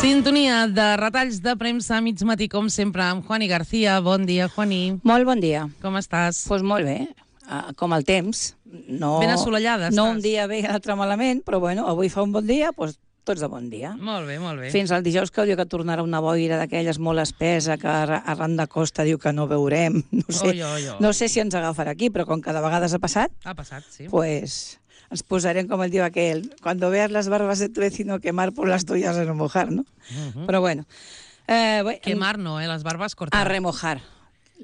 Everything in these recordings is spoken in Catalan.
Sintonia de retalls de premsa a mig matí, com sempre, amb Juani García. Bon dia, Juani. Molt bon dia. Com estàs? Doncs molt bé, com el temps. No, Ben assolellada no estàs. un dia bé i l'altre malament, però bueno, avui fa un bon dia, doncs tots de bon dia. Molt bé, molt bé. Fins al dijous, que diu que tornarà una boira d'aquelles molt espessa, que arran de costa diu que no veurem. No sé si ens agafarà aquí, però com cada vegada ha passat, Sí. Pues ens posarem, com el diu aquell, cuando veas las barbas de tu vecino quemar, por las tuyas a remojar, ¿no? Però bueno. Quemar no, les barbas cortar. A remojar.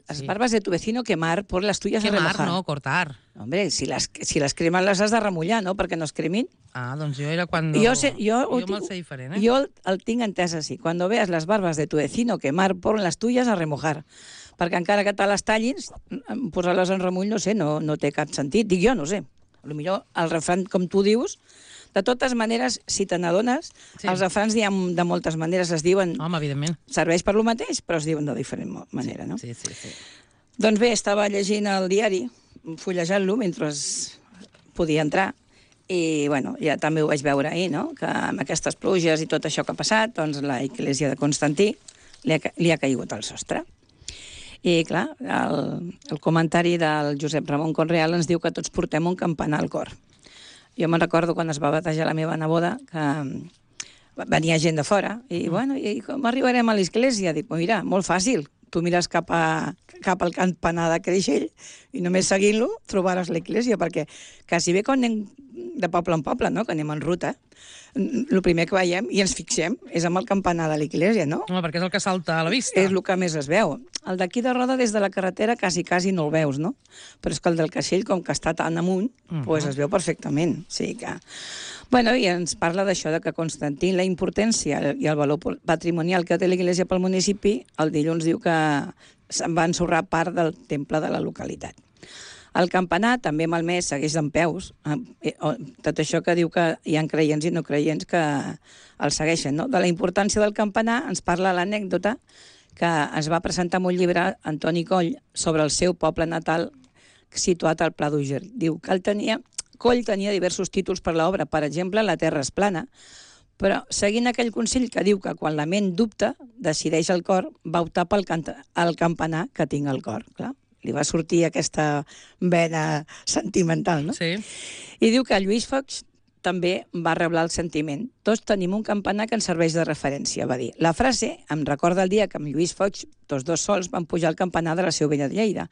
Las barbas de tu vecino quemar, por las tuyas a remojar. Quemar no, cortar. Hombre, si les cremen les has de remullar, no?, perquè no es cremin. Ah, doncs jo era quan... Jo me'l sé diferent, eh? Jo el tinc entès així. Cuando veas las barbas de tu vecino quemar, por las tuyas a remojar. Perquè encara que te les tallin, posar-les en remull, no sé, no té cap sentit. Dic jo, no sé. Potser el refrany, com tu dius, de totes maneres, si te n'adones, els refrans de moltes maneres es diuen... Home, evidentment. Serveix per lo mateix, però es diuen de diferent manera, no? Sí. Doncs bé, estava llegint el diari, fullejant-lo mentre podia entrar, i bueno, ja també ho vaig veure ahir, no?, que amb aquestes pluges i tot això que ha passat, doncs la Església de Constantí li ha caigut al sostre. I, clar, el comentari del Josep Ramon Conreal ens diu que tots portem un campanar al cor. Jo me'n recordo quan es va batejar la meva neboda, que venia gent de fora, i, bueno, i com arribarem a l'església? Dic, mira, molt fàcil, tu mires cap al campanar de Creixell i només seguint-lo trobaràs l'església, perquè quasi bé quan anem de poble en poble, no?, que anem en ruta, el primer que veiem i ens fixem és amb el campanar de l'església, no? Home, perquè és el que salta a la vista. És el que més es veu. El d'aquí de Roda, des de la carretera, quasi no el veus, no? Però és que el del Caixell, com que està tan amunt, doncs es veu perfectament. O sigui que... Bueno, i ens parla d'això, de que Constantí, la importància i el valor patrimonial que té l'església pel municipi, el dilluns diu que se'n va ensorrar part del temple de la localitat. El campanar, també malmès, segueix d'en peus. Tot això que diu que hi ha creients i no creients que el segueixen, no? De la importància del campanar ens parla l'anècdota que es va presentar en un llibre Antoni Coll sobre el seu poble natal situat al Pla d'Úger. Diu que Coll tenia diversos títols per l'obra, per exemple, La terra és plana, però seguint aquell consell que diu que quan la ment dubta, decideix el cor, va optar pel campanar que tinc al cor, clar. Li va sortir aquesta vena sentimental, no? Sí. I diu que Lluís Foix també va reblar el sentiment. Tots tenim un campanar que ens serveix de referència, va dir. La frase em recorda el dia que amb Lluís Foix, tots dos sols, van pujar al campanar de la Seu Vella de Lleida.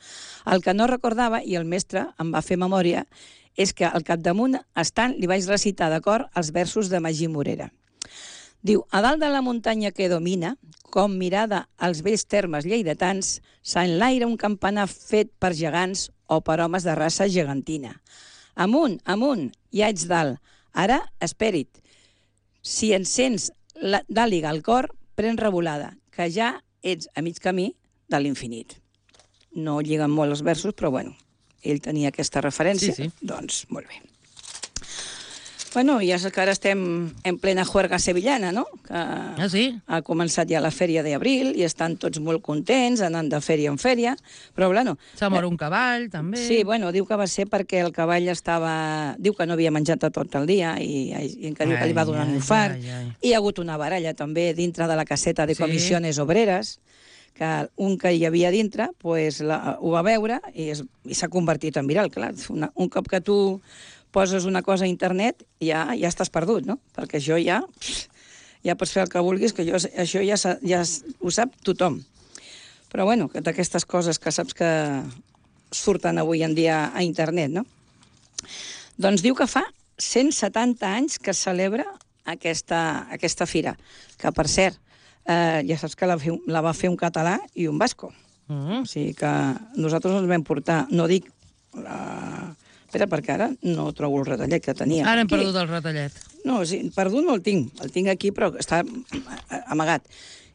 El que no recordava, i el mestre em va fer memòria, és que al capdamunt estant li vaig recitar de cor els versos de Magí Morera. Diu, a dalt de la muntanya que domina, com mirada als vells termes lleidatans, s'enlaira un campanar fet per gegants o per homes de raça gegantina. Amunt, amunt, ja ets dalt. Ara, espera't. Si ens sents d'àliga al cor, pren revolada, que ja ets a mig camí de l'infinit. No lliguen molt els versos, però bueno, ell tenia aquesta referència, Sí. Doncs molt bé. Bueno, ja sé que ara estem en plena juerga sevillana, no? Que sí? Ha començat ja la fèria d'abril i estan tots molt contents, anant de fèria en fèria, però bueno... S'ha mort un cavall, també. Sí, bueno, diu que va ser perquè el cavall estava... Diu que no havia menjat tot el dia i que diu que li va donar un infart. I hi ha hagut una baralla també dintre de la caseta de comissiones obreres, que un que hi havia dintre pues, ho va veure i s'ha convertit en viral. Clar, un cop que tu poses una cosa a internet, ja estàs perdut, no? Perquè això ja pots fer el que vulguis, que això ja ho sap tothom. Però bueno, d'aquestes coses que saps que surten avui en dia a internet, no? Doncs diu que fa 170 anys que es celebra aquesta fira, que per cert, ja saps que la va fer un català i un basco. O sigui que nosaltres ens vam portar, no dic... Espera, perquè ara no trobo el retallet que tenia. Ara hem perdut el retallet. No, perdut no el tinc. El tinc aquí, però està amagat.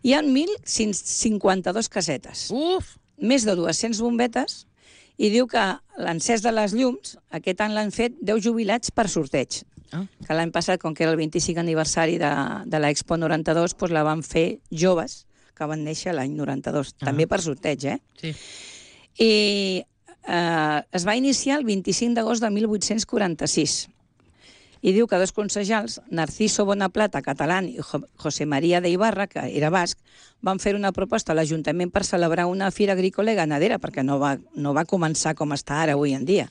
Hi ha 1.152 casetes. Uf! Més de 200 bombetes, i diu que l'encès de les llums, aquest any l'han fet 10 jubilats per sorteig. Que l'any passat, com que era el 25 aniversari de l'Expo 92, doncs la van fer joves que van néixer l'any 92. També per sorteig, Sí. I es va iniciar el 25 d'agost de 1846 I diu que dos concejals, Narciso Bonaplata, català, i José María de Ibarra, que era basc, van fer una proposta a l'Ajuntament per celebrar una fira agrícola i ganadera, perquè no va començar com està ara avui en dia.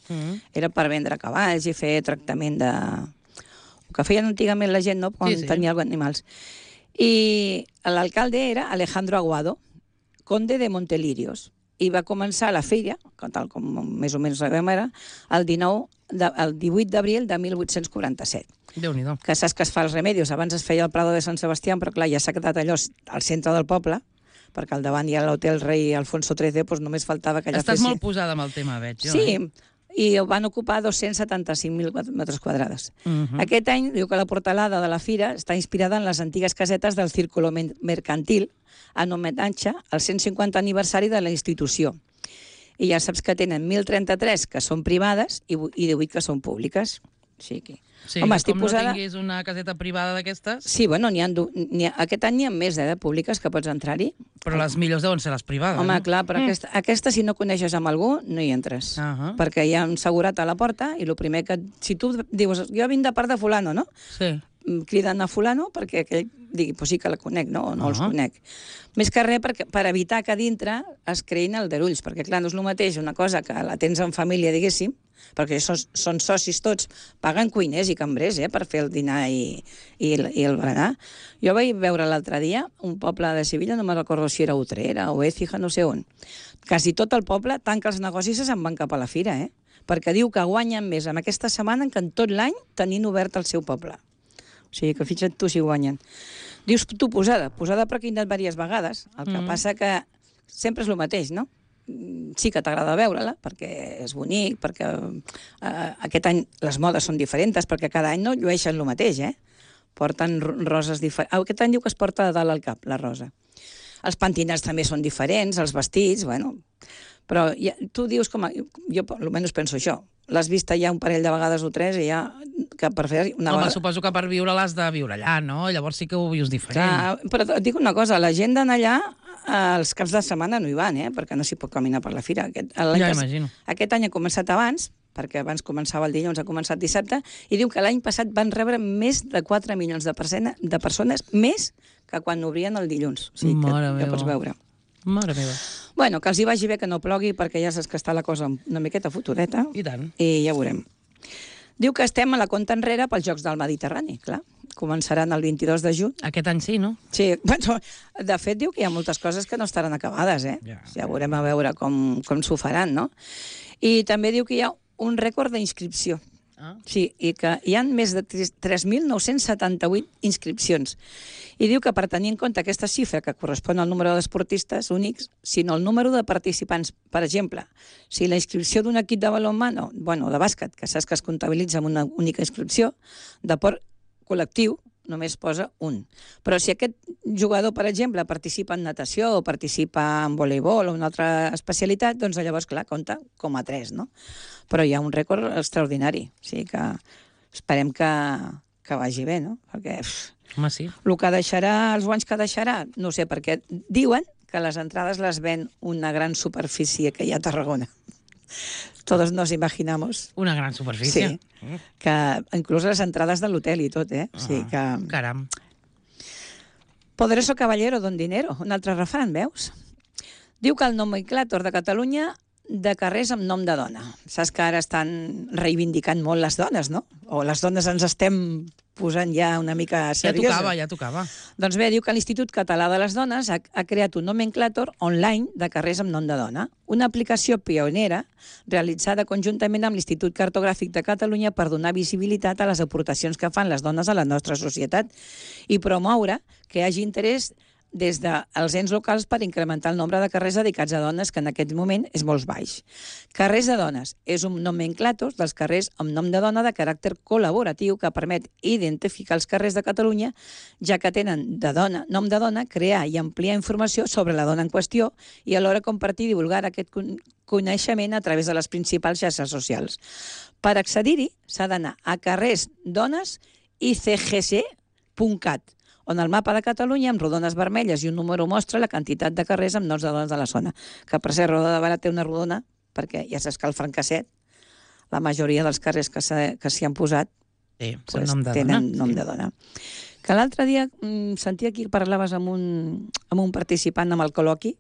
Era per vendre cavalls i fer tractament de... El que feien antigament la gent, no?, quan tenia animals. I l'alcalde era Alejandro Aguado, conde de Montelirios, i va començar la fira, tal com més o menys sabem ara, el 18 d'abril de 1847. Déu-n'hi-do. Que saps que es fa els Remedios. Abans es feia el Prado de Sant Sebastià, però clar, ja s'ha quedat allò al centre del poble, perquè al davant hi ha l'hotel Rei Alfonso XIII, doncs només faltava que allà Estàs molt posada amb el tema, veig. Sí, i van ocupar 275.000 metres quadrats. Aquest any diu que la portalada de la fira està inspirada en les antigues casetes del Círculo Mercantil, en homenatge al 150 aniversari de la institució. I ja saps que tenen 1.033 que són privades i 18 que són públiques. Sí, home, estic com posada... no tinguis una caseta privada d'aquestes... Sí, bueno, aquest any n'hi ha més de públiques que pots entrar-hi. Però les millors deuen ser les privades, home, clar, però aquesta, si no coneixes amb algú, no hi entres. Perquè hi ha un segurat a la porta i el primer que... Si tu dius, jo vinc de part de fulano, no? Sí. Criden a fulano perquè aquell digui, pues sí que la conec, no? O no els conec. Més que res per evitar que a dintre es creïn aldarulls, perquè clar, no és el mateix una cosa que la tens en família, diguéssim, perquè són socis tots, paguen cuiners i cambrers per fer el dinar i el berenar. Jo vaig veure l'altre dia un poble de Sevilla, no me'n recordo si era Utrera o Écija, no sé on. Quasi tot el poble tanca els negocis i se'n van cap a la fira, perquè diu que guanyen més en aquesta setmana que en tot l'any tenint obert el seu poble. O sigui, que fixa't tu si guanyen. Dius tu posada però que he anat diverses vegades. El que passa que sempre és el mateix, no? Sí que t'agrada veure-la, perquè és bonic, perquè aquest any les modes són diferents, perquè cada any no llueixen el mateix, Porten roses diferents. Aquest any diu que es porta de dalt al cap, la rosa. Els pentinats també són diferents, els vestits, bueno... Però tu dius, jo almenys penso això, l'has vist ja un parell de vegades o tres i ja... Que per fer una Home, suposo que per viure l'has de viure allà, no? Llavors sí que ho vius diferent. Clar, però et dic una cosa, la gent d'anar allà els caps de setmana no hi van, perquè no s'hi pot caminar per la fira. Ja imagino. Aquest any ha començat abans, perquè abans començava el dilluns, ha començat dissabte, i diu que l'any passat van rebre més de 4 milions de persones, més que quan obrien el dilluns. O sigui, que ja pots veure. Mare meva. Bueno, que els hi vagi bé que no plogui, perquè ja saps que està la cosa una miqueta fotudeta. I tant. I ja veurem. Diu que estem a la compta enrere pels Jocs del Mediterrani, clar. Començaran el 22 de juny. Aquest any sí, no? Sí, bueno, de fet diu que hi ha moltes coses que no estaran acabades, Ja veurem a veure com s'ho faran, no? I també diu que hi ha un rècord d'inscripció. Sí, i que hi ha més de 3.978 inscripcions. I diu que per tenir en compte aquesta xifra, que correspon al número d'esportistes únics, sinó el número de participants. Per exemple, si la inscripció d'un equip de balonmano, bueno, de bàsquet, que saps que es comptabilitza amb una única inscripció, de port col·lectiu, només posa un. Però si aquest jugador, per exemple, participa en natació o participa en voleibol o una altra especialitat, doncs llavors, clar, compta com a 3, no? Però hi ha un rècord extraordinari. O sigui que esperem que vagi bé, no? Perquè home, sí. El que deixarà, els guanys que deixarà, no sé, perquè diuen que les entrades les ven una gran superfície que hi ha a Tarragona. Todos nos imaginamos. Una gran superfície. Sí, que inclús les entrades de l'hotel i tot, O sigui que... Caram. Poderoso caballero don dinero, un altre refran, veus? Diu que el nomenclàtor de Catalunya de carrers amb nom de dona. Saps que ara estan reivindicant molt les dones, no? O les dones ens estem posant ja una mica seriosa. Ja tocava. Doncs bé, diu que l'Institut Català de les Dones ha creat un nomenclàtor online de carrers amb nom de dona, una aplicació pionera realitzada conjuntament amb l'Institut Cartogràfic de Catalunya per donar visibilitat a les aportacions que fan les dones a la nostra societat i promoure que hi hagi interès des dels ens locals per incrementar el nombre de carrers dedicats a dones, que en aquest moment és molt baix. Carrers de dones és un nomenclàtor dels carrers amb nom de dona de caràcter col·laboratiu que permet identificar els carrers de Catalunya, ja que tenen nom de dona, crear i ampliar informació sobre la dona en qüestió i alhora compartir i divulgar aquest coneixement a través de les principals xarxes socials. Per accedir-hi s'ha d'anar a carrersdonesicgc.cat, on el mapa de Catalunya, amb rodones vermelles i un número, mostra la quantitat de carrers amb noms de dones de la zona. Que, per ser Roda de Barà té una rodona, perquè ja saps que el Francasset, la majoria dels carrers que s'hi han posat Sí, nom de tenen dona. nom de dona. Que l'altre dia sentia aquí que parlaves amb un participant amb el col·loqui,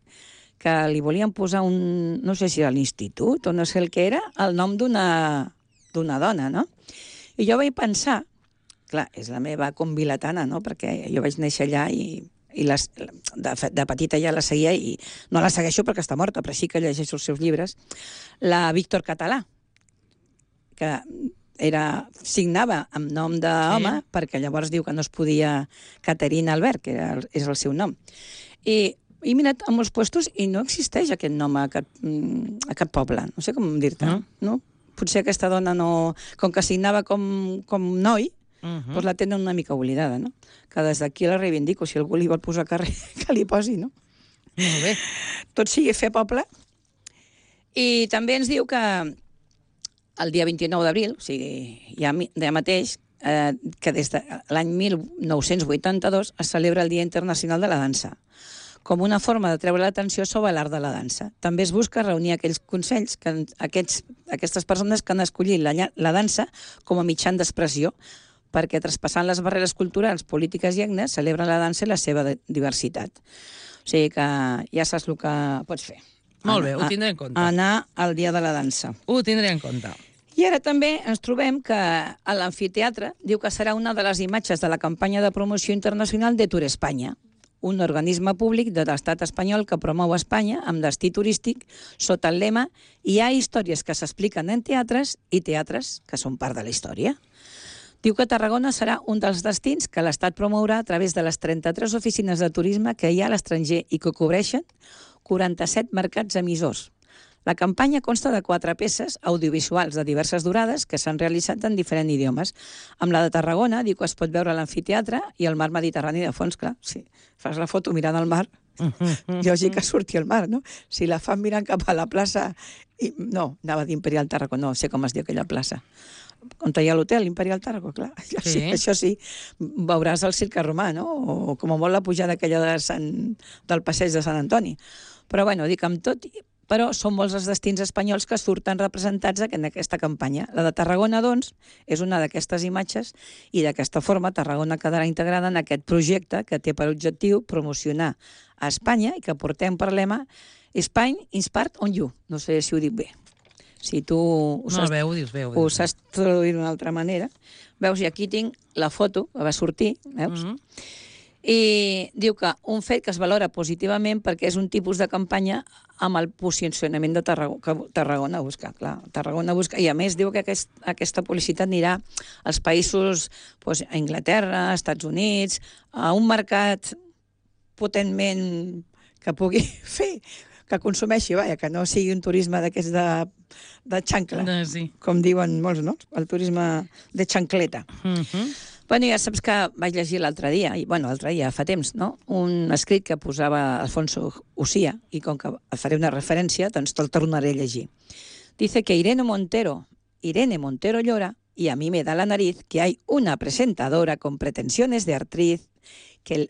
que li volien posar no sé si a l'institut o no sé el que era, el nom d'una dona, no? I jo vaig pensar, clar, és la meva convilatana, no?, perquè jo vaig néixer allà i de petita ja la seguia i no la segueixo perquè està morta, però sí que llegeixo els seus llibres, la Víctor Català, que signava amb nom d'home, perquè llavors diu que no es podia Caterina Albert, que és el seu nom. I he mirat a molts puestos i no existeix aquest nom a cap poble. No sé com dir-te. No? Potser aquesta dona no... Com que signava com noi, doncs la tenen una mica oblidada, no? Que des d'aquí la reivindico. Si algú li vol posar carrer, que li posi, no? Molt bé. Tot sigui fer poble. I també ens diu que el dia 29 d'abril, o sigui, ja mateix, que des de l'any 1982 es celebra el Dia Internacional de la Dansa, com una forma de treure l'atenció sobre l'art de la dansa. També es busca reunir aquells consells, aquestes persones que han escollit la dansa com a mitjà d'expressió, perquè traspassant les barreres culturals, polítiques i etnes, celebren la dansa i la seva diversitat. O sigui que ja saps el que pots fer. Molt bé, ho tindré en compte. Anar al Dia de la Dansa. Ho tindré en compte. I ara també ens trobem que a l'amfiteatre diu que serà una de les imatges de la campanya de promoció internacional de Tour Espanya, un organisme públic de l'estat espanyol que promou Espanya amb destí turístic sota el lema «Hi ha històries que s'expliquen en teatres i teatres que són part de la història». Diu que Tarragona serà un dels destins que l'Estat promourà a través de les 33 oficines de turisme que hi ha a l'estranger i que cobreixen 47 mercats emissors. La campanya consta de 4 peces audiovisuals de diverses durades que s'han realitzat en diferents idiomes. Amb la de Tarragona, diu que es pot veure l'amfiteatre i el mar Mediterrani de fons, clar. Si fas la foto mirant al mar, lògic que surti al mar, no? Si la fan mirant cap a la plaça... No, anava d'Imperial Tarragona, no sé com es diu aquella plaça. On hi ha l'hotel, Imperial Tarragona, clar. Sí. Això sí, veuràs el Cirque Romà, no? O com a molt la pujada aquella del passeig de Sant Antoni. Però, bueno, dic amb tot... Però són molts els destins espanyols que surten representats en aquesta campanya. La de Tarragona, doncs, és una d'aquestes imatges i d'aquesta forma Tarragona quedarà integrada en aquest projecte que té per objectiu promocionar a Espanya i que portem per lema Spain Inspired on You. No sé si ho dic bé. Si tu ho saps traduir d'una altra manera. Veus, i aquí tinc la foto que va sortir, veus? I diu que un fet que es valora positivament perquè és un tipus de campanya amb el posicionament de Tarragona busca, clar. Tarragona busca, i a més diu que aquesta publicitat anirà als països, doncs, a Anglaterra, als Estats Units, a un mercat potentment que pugui fer, que consumeixi, que no sigui un turisme d'aquests de xancla, com diuen molts, no? El turisme de xancleta. Bueno, ja saps que vaig llegir l'altre dia, fa temps, no?, un escrit que posava Alfonso Ucía, i com que faré una referència, doncs te'l tornaré a llegir. Dice que Irene Montero llora y a mí me da la nariz que hay una presentadora con pretensiones de actriz que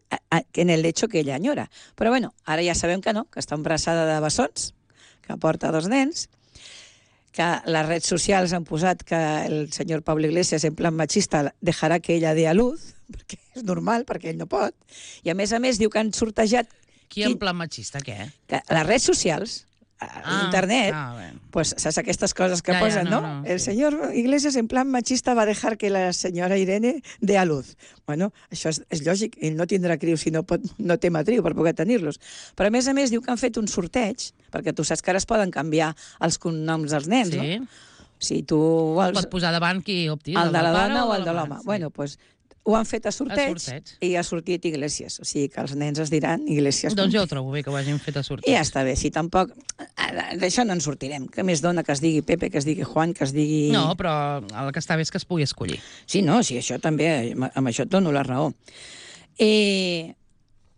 en el hecho que ella añora. Però bueno, ara ja sabem que no, que està embarassada de bessons, que porta 2 nens, que les redes socials han posat que el senyor Pablo Iglesias, en plan machista, dejarà que ella dé a luz, perquè és normal, perquè ell no pot. I a més diu que han sortejat... Qui en plan machista, què? Que les redes socials, internet, pues saps aquestes coses que posen, no? El senyor Iglesias, en plan machista, va dejar que la senyora Irene dé a luz. Bueno, això és lògic, ell no tindrà crius si no té matriu per poder tenir-los. Però a més diu que han fet un sorteig, perquè tu saps que ara es poden canviar els cognoms dels nens, no? Si tu vols... Pots posar davant qui opti, el de la dona o el de l'home. Bueno, doncs ho han fet a sorteig i ha sortit Iglesias. O sigui que els nens es diran Iglesias. Doncs jo ho trobo bé que ho hagin fet a sorteig. I ja està bé, si tampoc... D'això no en sortirem. Que més dona que es digui Pepe, que es digui Juan, que es digui... No, però el que està bé és que es pugui escollir. Sí, no, sí, això també, amb això et dono la raó. I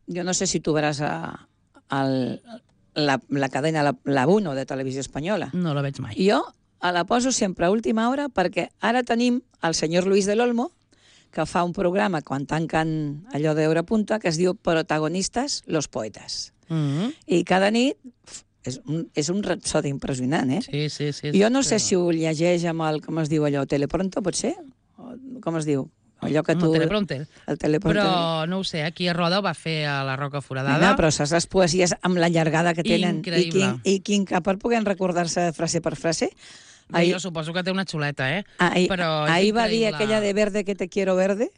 jo no sé si tu veràs la cadena, la 1 de Televisió Espanyola. No la veig mai. Jo la poso sempre a última hora perquè ara tenim el senyor Luis del Olmo, que fa un programa quan tanquen allò d'Hora Punta que es diu Protagonistas, los poetas. I cada nit és un rapsodi impressionant, eh? Sí. Jo no sé si ho llegeix amb el, com es diu allò, Telepronto, pot ser? com es diu? Allò que tu... El teleprompter. El teleprompter. Però, no ho sé, aquí a Roda ho va fer a la Roca Foradada. No, però saps les poesies amb la llargada que tenen. Increïble. I quin cap per poder recordar-se frase per frase. Jo suposo que té una xuleta, però és ahir va dir increïble. aquella de verde que te quiero verde.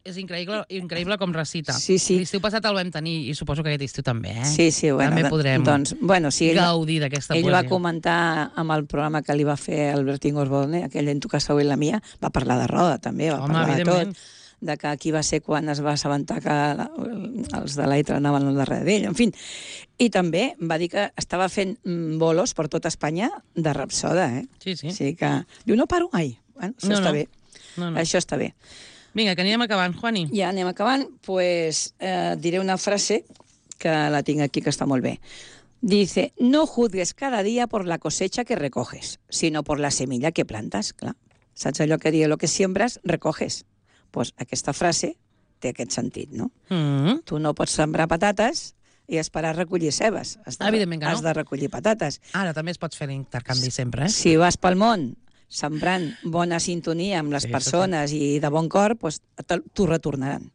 És increïble com recita. Sí. L'estiu passat el vam tenir, i suposo que aquest estiu també, Sí, bueno. També podrem gaudir d'aquesta poesia. Ell va comentar amb el programa que li va fer Albertín Osborne, aquell En tu casa o en la mia, va parlar de Roda, també, va parlar de tot. De que aquí va ser quan es va assabentar que els de l'Aitra anaven al darrere d'ell, en fi. I també va dir que estava fent bolos per tota Espanya de Rapsoda, Sí. O sigui que... Diu, no paro mai. Bueno, això està bé. Això està bé. Vinga, que anirem acabant, Juani. Ja anem acabant. Pues diré una frase que la tinc aquí, que està molt bé. Dice, no juzgues cada día por la cosecha que recoges, sino por la semilla que plantas. Clar, saps allò que diu, lo que siembras, recoges. Pues aquesta frase té aquest sentit, no? Tu no pots sembrar patates i esperar recollir cebes. Evidentment que no. Has de recollir patates. Ara també es pot fer l'intercanvi sempre, Si vas pel món sembrant bona sintonia amb les persones i de bon cor, doncs t'ho retornaran.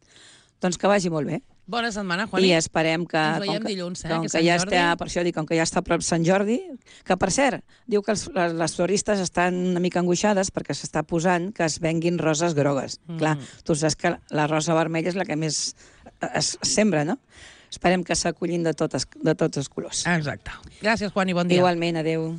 Doncs que vagi molt bé. Bona setmana, Juani. I esperem que... Ens veiem dilluns, com que que ja està, per això dic, com que ja està a prop Sant Jordi, que per cert, diu que les floristes estan una mica angoixades perquè s'està posant que es venguin roses grogues. Clar, tu saps que la rosa vermella és la que més es sembra, no? Esperem que s'acollin de tots els colors. Exacte. Gràcies, Juani, bon dia. Igualment, adeu.